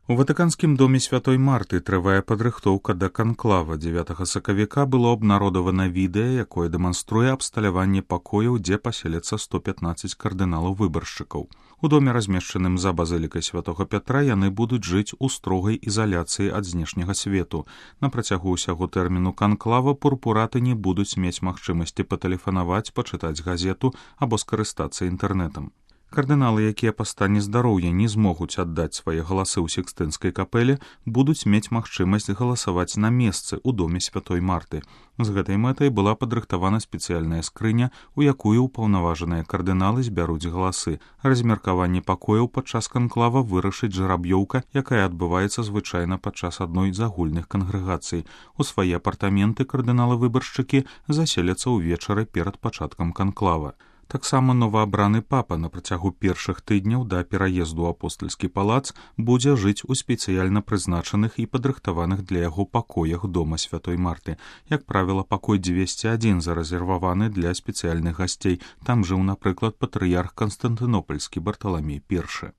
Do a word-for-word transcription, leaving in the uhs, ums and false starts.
У ватыканскім доме святой Марты трывае падрыхтоўка да канклава. дзевятага сакавіка было абнародавана відэа, якое дэманструе абсталяванне пакояў, дзе паселяцца сто пятнаццаць кардыналаў-выбаршчыкаў. У доме, размешчаным за базылікай святога Пятра, яны будуць жыць у строгай ізаляцыі ад знешняга свету. На працягу ўсяго тэрміну канклава пурпураты не будуць мець магчымасці патэлефанаваць, пачытаць газету або скарыстацца інтэрнэтам. Кардыналы, якія па стане здароўя не змогуць аддаць свае галасы ў Сікстынскай капэле, будуць мець магчымасць галасаваць на месцы ў доме святой Марты. З гэтай мэтай была падрыхтавана спецыяльная скрыня, у якую ўпаўнаважаныя кардыналы збяруць галасы. Размеркаванне пакояў падчас канклава вырашыць жараб'ёўка, якая адбываецца звычайна падчас адной з агульных кангрэгацый. У свае апартаменты кардыналы-выбаршчыкі заселяцца ўвечары перад пачаткам канклава. Таксама новаабраны папа на працягу першых тыдняў да пераезду ў апостальскі палац будзе жыць у спецыяльна прызначаных і падрыхтаваных для яго пакоях дома святой Марты. Як правіла, пакой дзвесце адзін зарэзерваваны для спецыяльных гасцей. Там жыў, напрыклад, патрыярх Канстантынопальскі Барталамей першы.